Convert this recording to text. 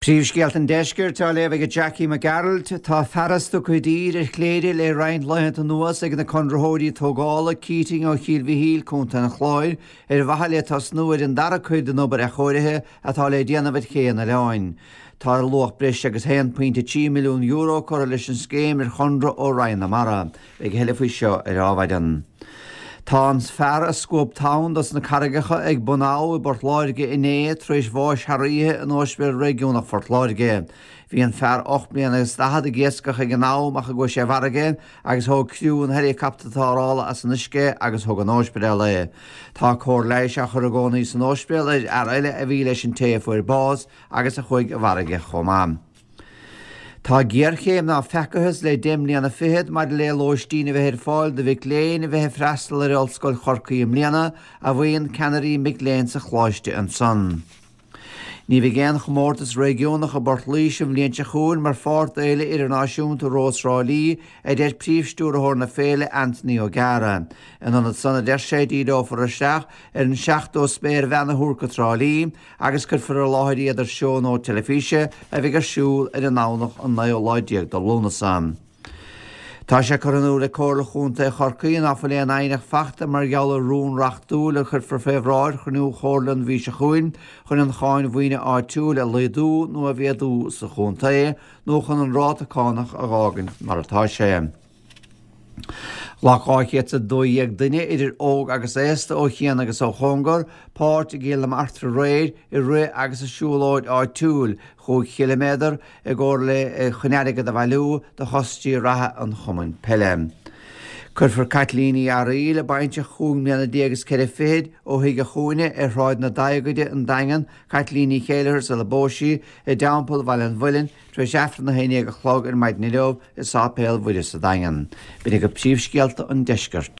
Príomhscéalta an Deiscirt á léamh ag Jackie Mac Gearailt. Tá fearas tugtha i dtír ar Chléire le roinnt laethanta anuas ag na conraitheoirí tógála, Keating ó Chill Mhichíl, Co. an Chláir, ar mhaithe le tosnú ar an dara cuid den obair athchóirithe atá le déanamh ar ché an oileáin. Tá ar luach breis agus €1.3 milliún curtha leis an scéim ar chonradh ó Roinn na Mara. Beidh a thuilleadh faoi seo ar Adhmhaidin. Tá an fear a scuab tonn dos na carraigeacha ag Bun Abha i bPort Láirge inné tar éis bháis thar oíche in Ospidéal Réigiúnach Phort Láirge. Bhí an fear 8 mbliana agus 40 ag iascach ag an am ach a gcuaigh sé i bhfarraige agus thóg criú an heileacaptair tarrthála as an uisce agus thug an ospidéal é. Tá cóir leighis á chur i gcónaí san ospidéal ar fhear eile a bhí leis an té a fuair bás agus a chuaigh i bhfarraige chomh maith. Tá géarchéim ná feacathas le deich mbliana fichead maidir le lóistín a bheith ar fáil do mhic léinn a bheith ag freastal ar Ollscoil Chorcaí i mbliana, a mhaíonn ceannairí mic léinn sa choláiste ansan. Ní bheidh aon chomórtas réigiúnach i bPort Laoise an bhliain seo chugainn mar pháirt d'Fhéile Idirnáisiúnta Rós Thrá Lí, a deir Príomh-Stiúrthóir na féile, Anthony O'Gara. In ionad san, a deir sé, díreofar isteach ar an 70 spéirbhean a thabhairt go Trá Lí, agus cuirfear i láthair iad ar seó teilifíse a bheidh ar siúl ar an nDomhnach an naoú lá déag de Lúnasa. Tá sé curtha in iúl ag Comhairle Chontae Chorcaí ná fuil aon aighneacht fachta mar gheall ar rún reachtúil a chuirfear fé bhráid chruinniú Chomhairle an mhí seo chugainn chun an cháin mhaoine áitiúil a laghdú nó a mhéadú sa chontae nó chun an ráta cánach a dh'fhágaint mar atá sé. Ghlac 212 duine, idir óg agus aosta, ó chian agus ó chóngar, páirt i gCill na Martra aréir i rith agus i siúlóid áitiúil chúig chiliméadar i gcomhar le chun airgead a bhailiú do choistí reatha an chumainn peile. Cuirfear Caitlín Uí Fhearaíl, a baintreach chúig mbliana déag is ceithre fichid, ó Thigh a' Chúinne ar Shráid na Adhgaide, an Daingean, Caitlín Ní Chéileachair sula bpós sí, i dTeampall Bhaile an Mhuilinn, Tar éis Aifreann 11 a chlog ar maidin inniu i Sáipéal Mhuire sa Daingean. B'in agaibh príomhscéalta an deiscirt.